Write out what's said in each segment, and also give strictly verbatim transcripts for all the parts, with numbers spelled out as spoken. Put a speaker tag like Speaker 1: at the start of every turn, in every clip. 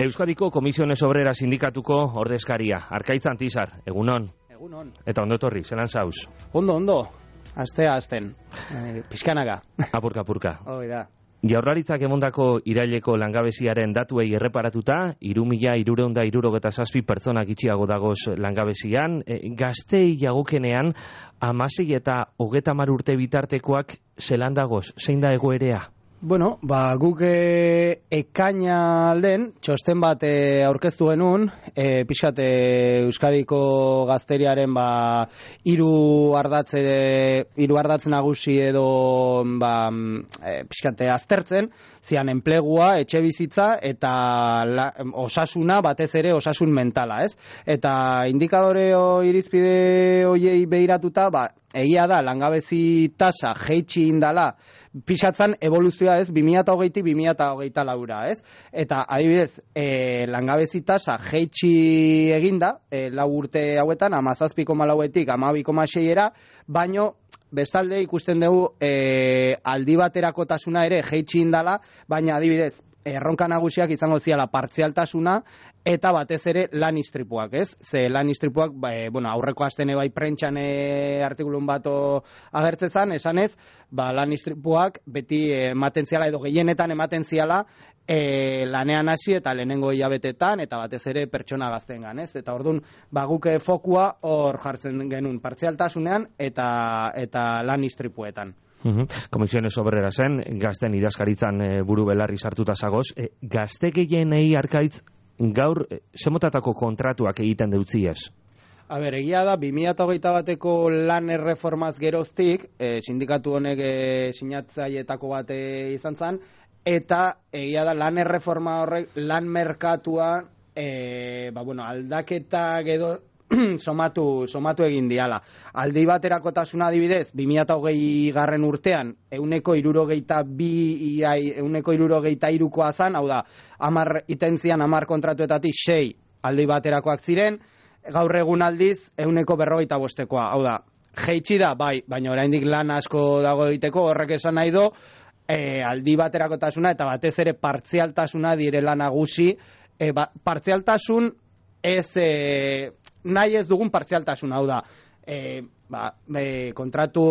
Speaker 1: Euskadiko Komisiones Obreras Sindikatuko ordezkaria, Arkaitz Antizar, egunon.
Speaker 2: Egunon.
Speaker 1: Eta ondo etorri, zelan zauz?
Speaker 2: Ondo, ondo. Astea, asten. E, pixkanaga.
Speaker 1: Apurka, apurka.
Speaker 2: Hoi da.
Speaker 1: Jaurlaritzak emondako iraileko langabeziaren datuei erreparatuta, hiru mila hirurehun eta hirurogeta zazpi pertsonak itxiago dagoz langabezian, e, gaztei jagokenean, hamasei eta hogeta hamar urte bitartekoak zelan dagoz, zein da egoerea?
Speaker 2: Bueno, ba, guk e, ekaina alden, txosten bat e, aurkeztu genuen, e, pixkat e, Euskadiko gazteriaren ba, hiru ardatze, hiru ardatz nagusi edo ba, e, pixkat aztertzen, zian enplegua, etxe bizitza eta la, osasuna, batez ere osasun mentala, ez? Eta indikadore o, irizpide hoiei behiratuta, ba, egia da, langabezi tasa jeitsi indala, pixatzan evoluzioa ez, bi mila hogeitik bi mila hogeita laura, ez? Eta adibidez, e, langabezi tasa jeitsi eginda, e, lau urte hauetan, hamazazpi koma lauetik hamabi koma seiera, baino bestalde ikusten dugu e, aldi baterakotasuna ere jeitsi indala, baina adibidez, erronka nagusiak izango ziala partzialtasuna eta batez ere lan istripuak, ez? Ze lan istripuak, ba, e, bueno, aurreko astene bai prentxan e, artikulun bato agertzezan, esanez, ba, lan istripuak beti ematen ziala edo gehienetan ematen ziala e, lanean hasi eta lehenengo hilabetetan eta batez ere pertsona gaztengan, ez? Eta ordun, ba, guk fokua hor jartzen genuen partzialtasunean eta eta lan istripuetan.
Speaker 1: Uhum. Komisiones Obreras zen, gazten idazkaritzan e, buru belarri sartuta zagoz. E, gazte gehienei Arkaitz gaur e, zemotatako kontratuak egiten deutziez?
Speaker 2: A ber, egia da, bi mila hogeita bateko lan erreformaz geroztik, e, sindikatu honek e, sinatzaietako bat e, izan zen, eta egia da, lan erreforma horrek, lan merkatua, e, ba, bueno, aldaketa edo somatu, somatu egin diala. Aldi baterakotasuna adibidez, bi mila hogei garren urtean, euneko hirurogeita bi, euneko hirurogeita hirukoa zan, hau da, hamar itentzian, hamar kontratuetatik sei aldi baterakoak ziren, gaur egun aldiz, euneko berrogeita bostekoa, hau da, jeitsi da, bai, baina oraindik lan asko dago egiteko, horrek esan nahi do, e, aldi baterakotasuna eta batez ere partzialtasuna direla nagusi, e, ba, partzialtasun ez, e, nahi ez dugun partzialtasuna, hau da, e, ba, e, kontratu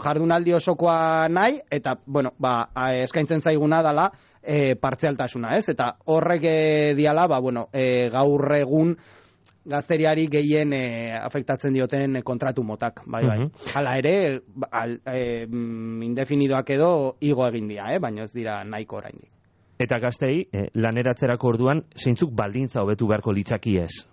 Speaker 2: jardunaldi osokoa nahi, eta, bueno, ba, eskaintzen zaiguna dala e, partzialtasuna, ez? Eta horrek e, diala, ba, bueno, e, gaur egun gazteriari gehien e, afektatzen dioten kontratu motak, bai, bai. Uh-huh. Hala ere, al, e, indefinidoak edo igo egin dira, eh? Baina ez dira nahiko oraindik.
Speaker 1: Eta gaztei, eh, laneratzerako orduan, zeintzuk baldintza hobetu beharko litzakiez?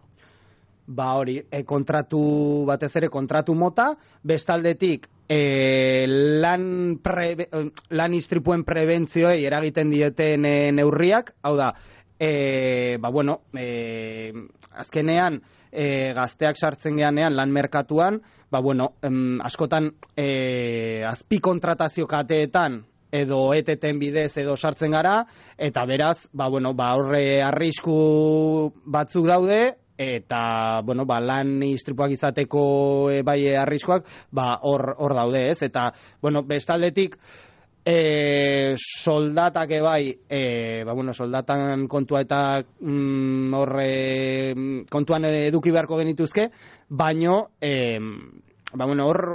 Speaker 2: Ba hori, e, kontratu, batez ere kontratu mota, bestaldetik e, lan, pre, lan istripuen prebentzioei eragiten dieten e, neurriak, hau da, e, ba bueno, e, azkenean e, gazteak sartzen geanean lan merkatuan, ba bueno, em, askotan e, azpi kontratazio kateetan, edo eteten bidez edo sartzen gara, eta beraz, ba, bueno, ba, horre arrisku batzuk daude, eta, bueno, ba, lan istripuak izateko e, bai arriskuak, ba, hor, hor daude, ez? Eta, bueno, bestaldetik, e, soldatak bai, e, ba, bueno, soldatan kontua eta mm, horre kontuan eduki beharko genituzke, baino, e, ba, bueno, hor,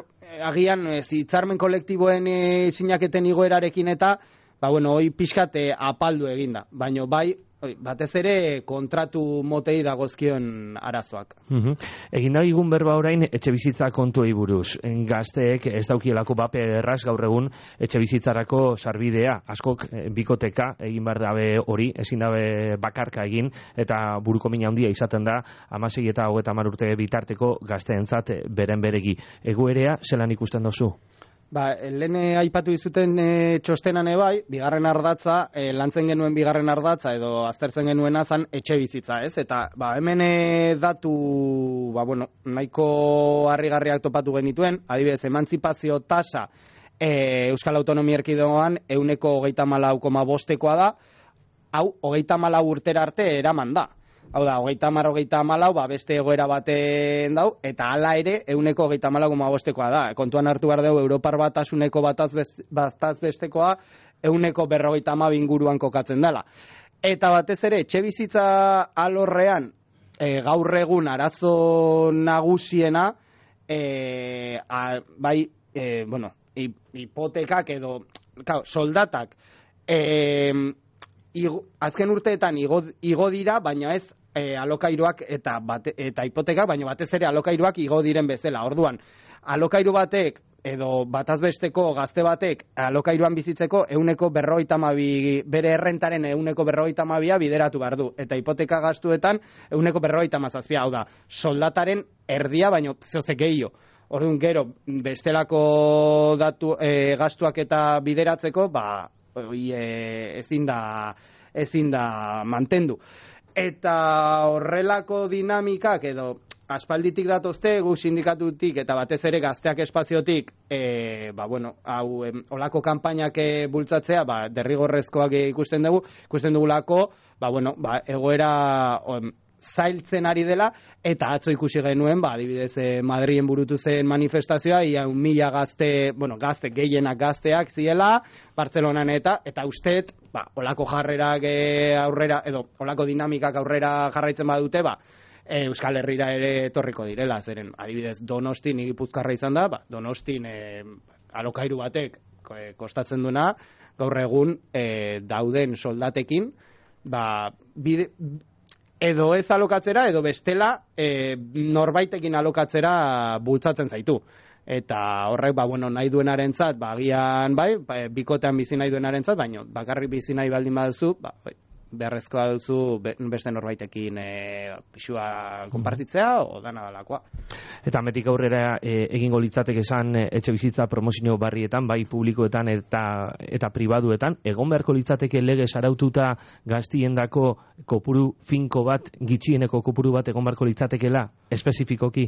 Speaker 2: agian hitzarmen kolektiboen e, sinaketen igoerarekin eta ba bueno, hoi pixkate apaldu eginda, baino bai oi, batez ere kontratu motei dagozkion arazoak.
Speaker 1: Uh-huh. Egin da igun berba orain etxe bizitza kontuei buruz. Gazteek ez daukielako bape erraz gaur egun etxe bizitzarako sarbidea. Askok bikoteka egin behar dabe hori, ezin dabe bakarka egin, eta buruko mina handia izaten da hamasei eta hogeita hamar urte bitarteko gazteentzat beren beregi. Egoerea zelan ikusten dozu?
Speaker 2: Ba, lehen aipatu dizuten e, txostenan ebai, bigarren ardatza, e, lantzen genuen bigarren ardatza edo aztertzen genuen azan etxe bizitza, ez? Eta ba, hemen e, datu ba, bueno, nahiko harrigarriak topatu genituen, adibidez, emantzipazio tasa e, Euskal Autonomia Erkidegoan euneko hogeita hamalau koma bostekoa da, hau hogeita hamalau urtera arte eraman da. Hau da, hogeita hamar, hogeita hamalau, ba, beste egoera baten dau, eta hala ere, euneko hogeita hamalau koma bostekoa da. Kontuan hartu behar dugu, Europar batasuneko bataz bestekoa, euneko berrogeita hamabi inguruan kokatzen dela. Eta batez ere, etxe bizitza alorrean, e, gaur egun arazo nagusiena, e, a, bai, e, bueno, hipotekak edo, claro, soldatak, e, igo, azken urteetan igo, igo dira, baina ez e, alokairuak eta, bate, eta hipotekak, baina batez ere alokairuak igo diren bezala. Orduan, alokairu batek, edo batazbesteko gazte batek alokairuan bizitzeko euneko berrogeita hamabi, bere errentaren euneko berrogeita hamabia bideratu behar du. Eta hipoteka gastuetan euneko berrogeita hamazazpia, hau da, soldataren erdia, baino zozek gehiago. Orduan gero, bestelako datu, e, gastuak eta bideratzeko, ba, e, ezin da, ezin da mantendu. Eta horrelako dinamikak edo aspalditik datozte, gu sindikatutik eta batez ere gazteak espaziotik, e, ba, bueno, hau, em, olako kanpainak e, bultzatzea, ba, derrigorrezkoak ikusten dugu, ikusten dugulako, ba, bueno, ba, egoera em, zailtzen ari dela, eta atzo ikusi genuen, ba, adibidez, e, Madrien burutu zen manifestazioa, ia un mila gazte, bueno, gazte, gehienak gazteak ziela, Bartzelonan eta, eta usteet, ba, olako jarrerak e, aurrera, edo, olako dinamikak aurrera jarraitzen badute, ba, E, Euskal Herrira ere etorriko direla, zeren adibidez Donostin, ni Gipuzkoarra izan da, ba, Donostin e, alokairu batek e, kostatzen duna, gaur egun e, dauden soldatekin, ba, bide, edo ez alokatzera, edo bestela e, norbaitekin alokatzera bultzatzen zaitu. Eta horrek, ba, bueno, nahi duenarentzat, ba, agian, bai, ba, bikotean bizi nahi duenarentzat, baina bakarrik bizi nahi baldin baduzu, ba, bai, beharrezkoa duzu beste norbaitekin e, pisua konpartitzea o dana dalakoa.
Speaker 1: Eta metik aurrera e, egingo litzateke esan e, etxe bizitza promozio barrietan, bai publikoetan eta eta pribaduetan, egon beharko litzateke legez araututa gaztiendako kopuru finko bat, gitxieneko kopuru bat egon beharko litzatekela, espezifikoki?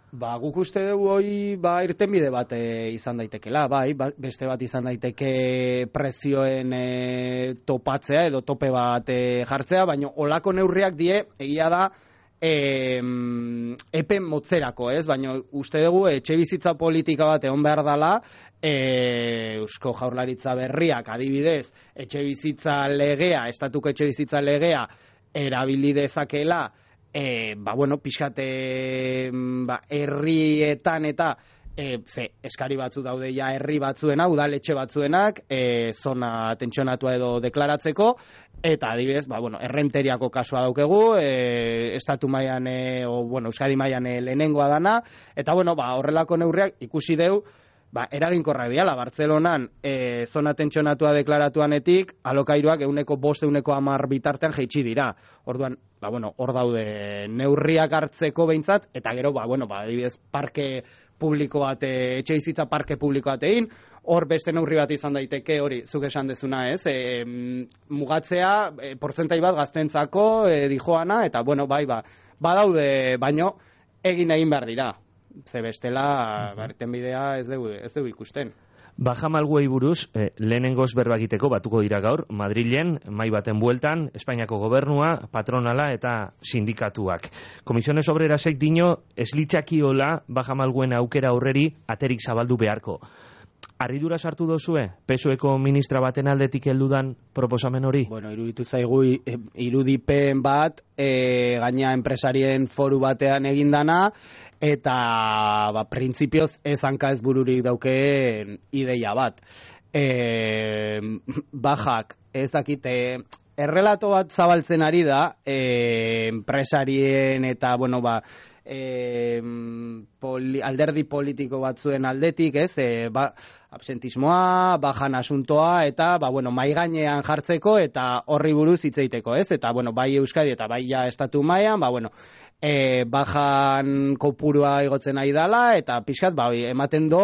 Speaker 2: Ba, guk uste dugu hoi ba, irtenbide bat e, izan daitekela, bai, ba, beste bat izan daiteke prezioen e, topatzea edo tope bat e, jartzea, baina olako neurriak die, egia da, e, epe motzerako, ez? Baina uste dugu etxe bizitza politika bat egon behar dela, e, Eusko Jaurlaritza berriak adibidez, etxe bizitza legea, estatuko etxe bizitza legea, erabili dezakela, E, ba, bueno, pixkate ba, herrietan eta e, ze, eskari batzu daude ja herri batzuena, udaletxe batzuenak, e, zona tentsionatua edo deklaratzeko, eta adibidez, ba, bueno, errenteriako kasua daukegu, e, estatu mailan, e, o, bueno, Euskadi mailan e, lehenengoa dana, eta, bueno, ba, horrelako neurriak ikusi deu, ba, eraginkorrak diala, Bartzelonan e, zona tentsionatua deklaratuanetik, alokairuak euneko bost, euneko hamar bitartean jeitsi dira. Orduan, ba, bueno, hor daude neurriak hartzeko behintzat, eta gero, ba, bueno, ba, adibidez, parke publiko bat, e, etxe bizitza parke publiko bat egin, hor beste neurri bat izan daiteke, hori, zuk esan dezuna, ez, e, mugatzea, e, portzentai bat gaztentzako, e, dijoana, eta, bueno, bai, ba, badaude, baino, egin egin behar dira. Ze bestela, barten bidea ez dugu, ez dugu ikusten.
Speaker 1: Bajamalguei buruz, eh, lehenengoz berba egiteko batuko dira gaur, Madrilen, mai baten bueltan, Espainiako gobernua, patronala eta sindikatuak. Komisiones Obrerasek dino, ez litzakiola Bajamalguen aukera aurreri aterik zabaldu beharko. Arridura sartu dozue, P S O-eko ministra baten aldetik heldudan proposamen hori?
Speaker 2: Bueno, iruditu zaigu irudipen bat, e, gaina enpresarien foru batean egindana, eta ba, printzipioz ez hanka ez bururik daukeen ideia bat. E, bajak, ez dakite, errelato bat zabaltzen ari da, e, enpresarien eta, bueno, ba, E, poli, alderdi politiko batzuen aldetik, ez, e, ba, absentismoa, bajan asuntoa, eta, ba, bueno, mai gainean jartzeko, eta horri buruz hitz egiteko, ez, eta, bueno, bai Euskadi eta bai ja estatu mailan, ba, bueno, e, bajan kopurua igotzen nahi dala, eta pixkat, ba, ematen do,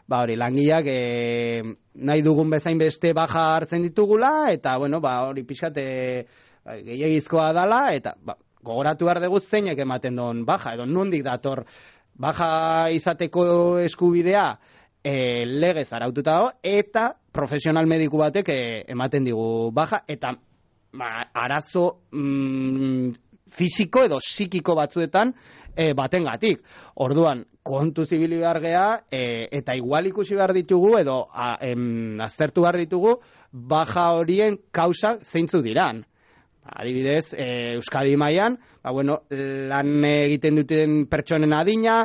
Speaker 2: ba, hori, langileak e, nahi dugun bezain beste baja hartzen ditugula, eta, bueno, ba, hori pixkat e, gehiagizkoa dala, eta, ba, gogoratu behar dugu zeinek ematen duen baja, edo nondik dator baja izateko eskubidea e, legez araututa dago, eta profesional mediku batek e, ematen digu baja, eta ba, arazo mm, fisiko edo psikiko batzuetan e, batengatik. Orduan, kontu zibili behar geha, e, eta igual ikusi behar ditugu, edo a, em, aztertu behar ditugu, baja horien kausa zeintzu diran. Adibidez, e, Euskadi mailan, ba, bueno, lan egiten duten pertsonen adina,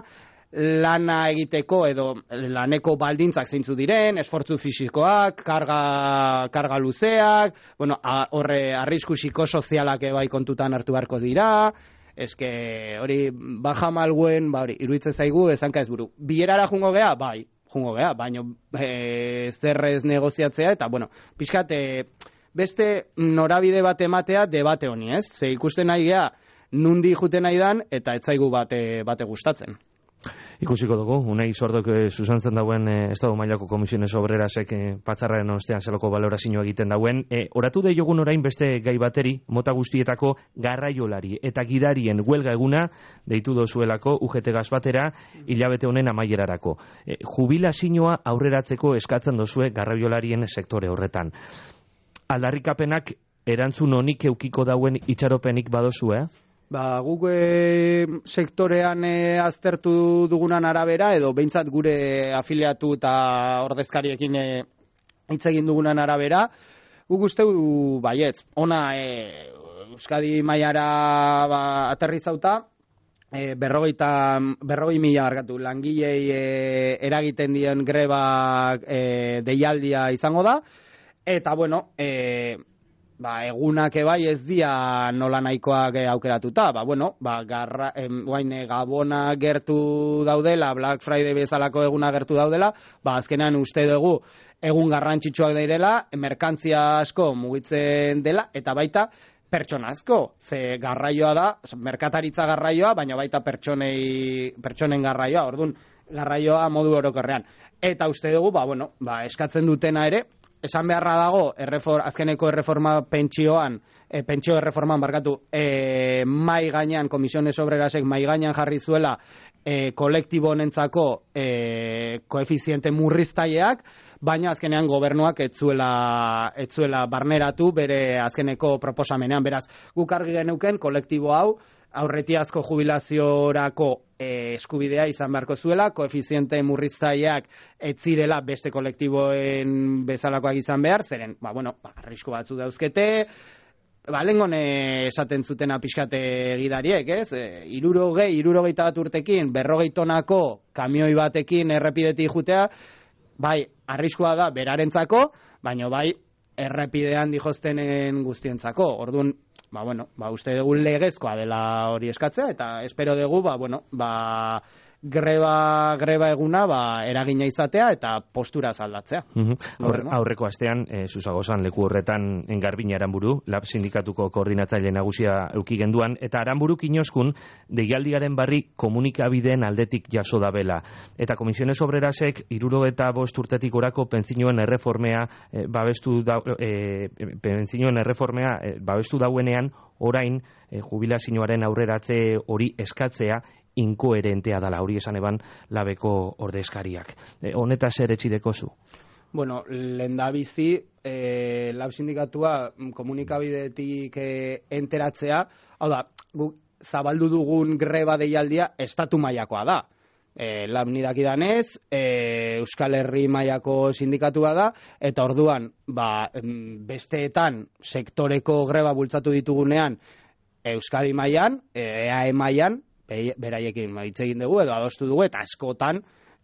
Speaker 2: lana egiteko edo laneko baldintzak zeintzu diren, esfortzu fisikoak, karga, karga luzeak, bueno, a, horre arrisku psikosozialak bai kontutan hartu beharko dira, eske hori baja malguen, ba hori, iruditzen zaigu esanka ez buru. Bilerara jungo gea, bai, jungo gea, baino e, zerrez negoziatzea, eta bueno, pixkat, e, beste norabide bat ematea debate honi, ez? Ze ikusten nahi gea, nundi juten nahi dan, eta ez zaigu bate, bate gustatzen.
Speaker 1: Ikusiko dugu, unai sordok e, susantzen dauen e, Estado mailako komisiones obrerasek e, patzarraren ostean zeloko balorazioa egiten dauen. E, oratu deiogun orain beste gai bateri, mota guztietako garraiolari eta gidarien huelga eguna deitu dozuelako U G T Gas batera hilabete honen amaierarako. E, jubilazioa aurreratzeko eskatzen dozue garraiolarien sektore horretan. Aldarrikapenak erantzun honik eukiko dauen itxaropenik badozu, eh?
Speaker 2: Ba, guk e, sektorean e, aztertu dugunan arabera, edo behintzat gure afiliatu eta ordezkariekin e, hitz egin dugunan arabera, guk uste du baietz. Ona e, Euskadi mailara ba, aterrizauta, e, berrogeita, berrogei mila argatu, langilei e, eragiten dien greba e, deialdia izango da, eta bueno, e, ba, egunak ebai ez dia nola nahikoak aukeratuta, ba, bueno, ba, garra, em, guain, Gabona gertu daudela, Black Friday bezalako eguna gertu daudela, ba, azkenan uste dugu egun garrantzitsuak direla, merkantzia asko mugitzen dela, eta baita pertsona asko, ze garraioa da, merkataritza garraioa, baina baita pertsonei, pertsonen garraioa, orduan garraioa modu orokorrean. Eta uste dugu, ba, bueno, ba, eskatzen dutena ere, esan beharra dago, errefor, azkeneko erreforma pentsioan, e, pentsio erreforman barkatu, e, mai gainean, komisiones obrerasek mai gainean jarri zuela e, kolektibo honentzako e, koefiziente murriztaileak, baina azkenean gobernuak ez zuela, ez zuela barneratu bere azkeneko proposamenean. Beraz, guk argi geneuken kolektibo hau, aurretiazko jubilaziorako e, eskubidea izan beharko zuela, koefiziente murriztaileak ez zirela beste kolektiboen bezalakoak izan behar, zeren, ba, bueno, ba, arrisku batzu dauzkete, ba, lengon esaten zutena pixkate gidariek, ez? E, irurogei, irurogeita bat urtekin, berrogei tonako kamioi batekin errepidetik jutea, bai, arriskua da berarentzako, baina bai, errepidean dijostenen guztientzako. Orduan, ba, bueno, ba, uste dugu legezkoa dela hori eskatzea, eta espero dugu, ba, bueno, ba, greba, greba eguna, ba, eragina izatea, eta postura zaldatzea.
Speaker 1: Uh-huh. Aurre, aurreko astean, e, Zuzagozan leku horretan Garbina Aranburu, Lab sindikatuko koordinatzaile nagusia euki genduan, eta Aranburu kinoskun, deialdiaren barri komunikabideen aldetik jaso dabela. Eta Komisiones Obrerasek, irurogeta bost urtetik orako pentsinoen erreformea, e, babestu da, e, pentsinoen erreformea e, babestu dauenean, orain, e, jubilazioaren aurreratze hori eskatzea, inkoherentea dala, hori esan eban labeko ordezkariak. E, honeta zer etxideko zu?
Speaker 2: Bueno, lehendabizi, e, lab sindikatua komunikabidetik e, enteratzea, hau da, guk zabaldu dugun greba deialdia estatu mailakoa da. E, lab nidakidanez, e, Euskal Herri mailako sindikatua da, eta orduan, ba, besteetan sektoreko greba bultzatu ditugunean, Euskadi mailan, E A E mailan, beraiekin hitz egin dugu edo adostu dugu, eta askotan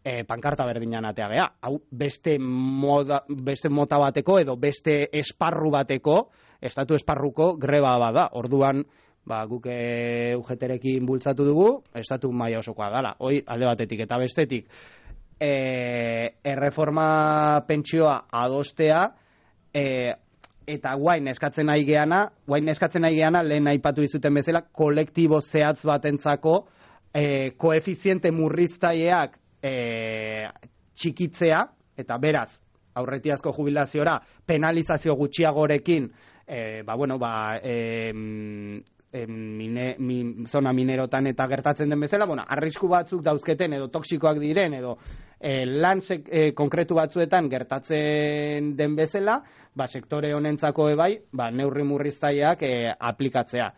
Speaker 2: e, pankarta berdinan atea gea. Hau beste, moda, beste mota bateko edo beste esparru bateko, estatu esparruko greba bada. Orduan, ba, guk e, U G T-rekin bultzatu dugu, estatu maila osokoa dala. Hoi, alde batetik eta bestetik, e, erreforma pentsioa adostea, e, eta guain eskatzen nahi geana, guain eskatzen nahi geana, lehen aipatu dizuten bezala, kolektibo zehatz batentzako e, koefiziente murriztaileak e, txikitzea, eta beraz, aurretiazko jubilaziora, penalizazio gutxiagorekin, e, ba, bueno, ba, e, e, mine, min, zona minerotan eta gertatzen den bezala, bueno, arrisku batzuk dauzketen edo toksikoak diren edo e, lan sek, e, konkretu batzuetan gertatzen den bezala, ba, sektore honentzako ebai, ba, neurri murriztaileak e, aplikatzea.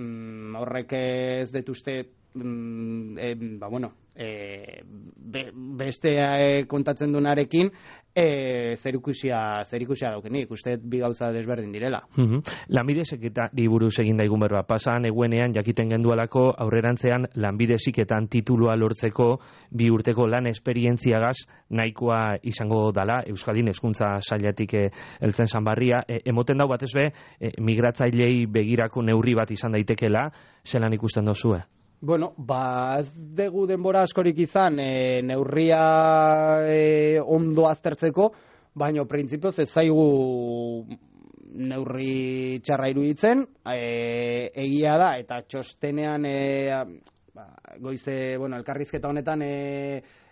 Speaker 2: Mm, horrek ez dut uste mm, e, ba, bueno, e, be, beste e, kontatzen dunarekin e, zerikusia, zerikusia daukenik, uste bi gauza desberdin direla.
Speaker 1: Mm-hmm. Lanbide heziketari buruz egin daigun berba, pasan eguenean jakiten gendualako aurrerantzean lanbide heziketan titulua lortzeko bi urteko lan esperientziagaz nahikoa izango dala, Euskadin hezkuntza sailetik heltzen Sanbarria, e, emoten dau batez be, e, migratzailei begirako neurri bat izan daitekela, zelan ikusten dozue?
Speaker 2: Bueno, ba, ez dugu denbora askorik izan e, neurria e, ondo aztertzeko, baina printzipioz ez zaigu neurri txarra iruditzen, e, egia da, eta txostenean, e, ba, goize, bueno, elkarrizketa honetan e,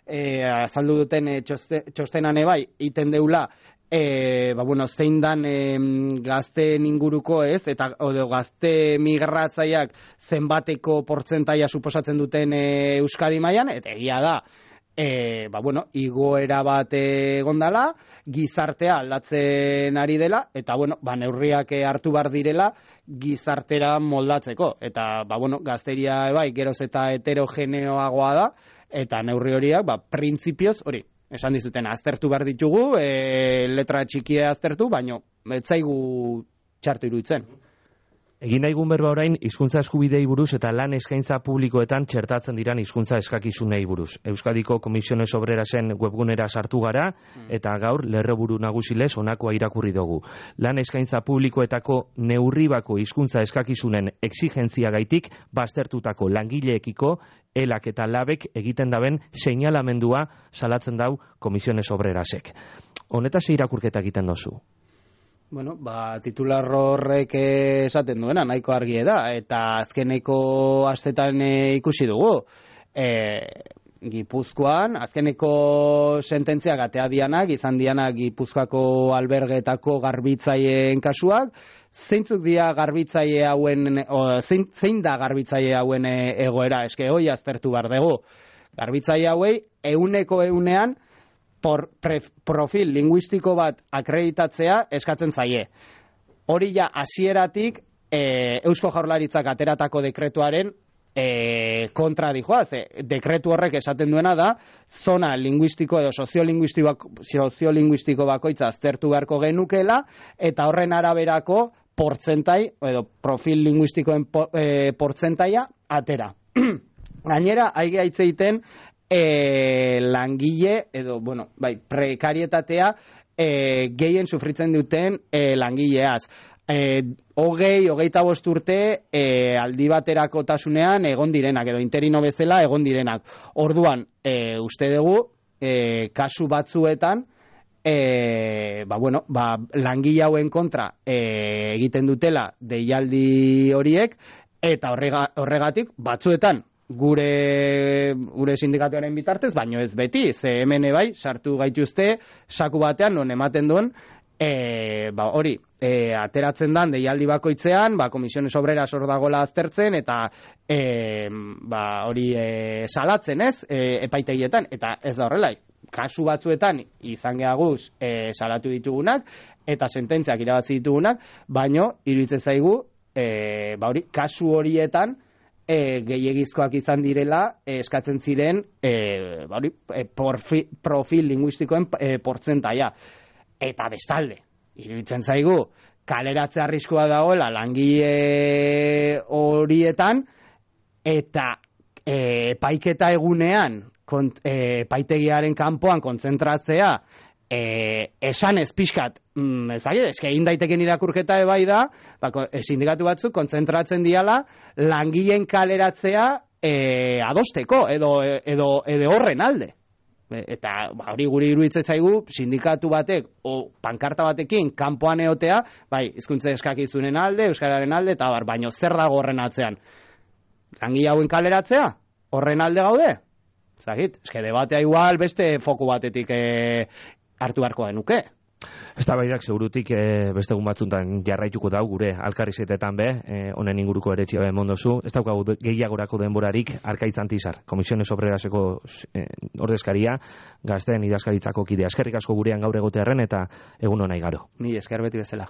Speaker 2: e, azaldu duten e, txoste, txostenan ebai, iten deula, E, ba, bueno, zein dan e, gazteen inguruko ez, eta odo, gazte migratzaileak zenbateko portzentaia suposatzen duten e, Euskadi mailan, eta egia da, e, ba, bueno, igoera bat egondala, gizartea aldatzen ari dela, eta bueno, ba, neurriak hartu behar direla gizartera moldatzeko, eta ba, bueno, gazteria bai, geroz eta heterogeneoagoa da, eta neurri horiak, ba, printzipioz hori, esan dizuten, aztertu behar ditugu, e, letra txikia aztertu, baino ez zaigu txartu iruditzen.
Speaker 1: Egin daigun berba orain, hizkuntza eskubidei buruz eta lan eskaintza publikoetan txertatzen diran hizkuntza eskakizunei buruz. Euskadiko Komisiones Obrerasen webgunera sartu gara, eta gaur lerroburu nagusilez honakoa irakurri dugu. Lan eskaintza publikoetako neurribako hizkuntza eskakizunen exigentziagaitik baztertutako langileekiko elak eta labek egiten daben seinalamendua salatzen dau Komisiones Obrerasek. Honetaz irakurketa egiten dozu.
Speaker 2: Bueno, ba, titular horrek esaten duena, nahiko argi da, eta azkeneko astetan e, ikusi dugu. E, Gipuzkoan, azkeneko sententziak atea dianak, izan dianak Gipuzkoako albergetako garbitzaileen kasuak, zeintzuk dia garbitzaile hauen, o, zein, zein da garbitzaile hauen egoera, eske hoi aztertu behar dugu. Garbitzaile hauei, euneko eunean, por pre, profil linguistiko bat akreditatzea eskatzen zaie. Hori ja hasieratik e, Eusko Jaurlaritzak ateratako dekretuaren e, kontra dijoaz. E, dekretu horrek esaten duena da, zona linguistiko edo soziolinguistiko, soziolinguistiko bakoitza aztertu beharko genukela, eta horren araberako portzentai, edo profil linguistikoen po, e, portzentaia atera. Gainera, aige aitzeiten, E, langile, edo, bueno, bai, prekarietatea e, gehien sufritzen duten e, langileaz. E, hogei, hogeita bost urte e, aldi baterako tasunean egon direnak, edo interino bezala egon direnak. Orduan, e, uste dugu, e, kasu batzuetan, e, ba, bueno, ba, langile hauen kontra e, egiten dutela deialdi horiek, eta horrega, horregatik batzuetan, gure gure sindikatuaren bitartez, baino ez beti, ze hemen bai sartu gaituzte saku batean non ematen duen e, ba, hori, e, ateratzen dan deialdi bakoitzean, ba, Komisiones Obreras hor dagoela aztertzen, eta e, ba, hori e, salatzen ez, e, epaitegietan, eta ez da horrela, kasu batzuetan izan geaguz e, salatu ditugunak, eta sententziak irabazi ditugunak, baino, iruditzen zaigu, e, ba, hori, kasu horietan, E, gehiegizkoak izan direla e, eskatzen ziren e, ba, e, porfi, profil linguistikoen e, portzentaia. Eta bestalde, iruditzen zaigu, kaleratze arriskua dagoela langile horietan, eta e, epaiketa egunean, kont, e, epaitegiaren kanpoan kontzentratzea, E, esan ez pixkat, mm, ezagir, eske egin daiteken irakurketa ebai da, ba, sindikatu batzuk kontzentratzen diala langileen kaleratzea e, adosteko, edo, edo, edo horren alde. E, eta ba, hori guri iruditzen zaigu, sindikatu batek, o pankarta batekin, kanpoan eotea, bai, hizkuntza eskakizunen alde, euskararen alde, eta bar, baino zer dago horren atzean? Langile hauen kaleratzea? Horren alde gaude? Zagit, eske debatea igual beste foku batetik e, hartu beharko genuke.
Speaker 1: Eztabaidak segurutik e, beste egun batzuntan jarraituko dau gure alkarrizetetan be, e, honen inguruko eretxia be mondozu. Ez daukagu gehiagorako denborarik Arkaitz Antizar, Komisiones Obreraseko e, ordezkaria, gazteen idazkaritzako kidea. Eskerrik asko gurean gaur egotearren eta egun hona igaro.
Speaker 2: Ni esker beti bezala.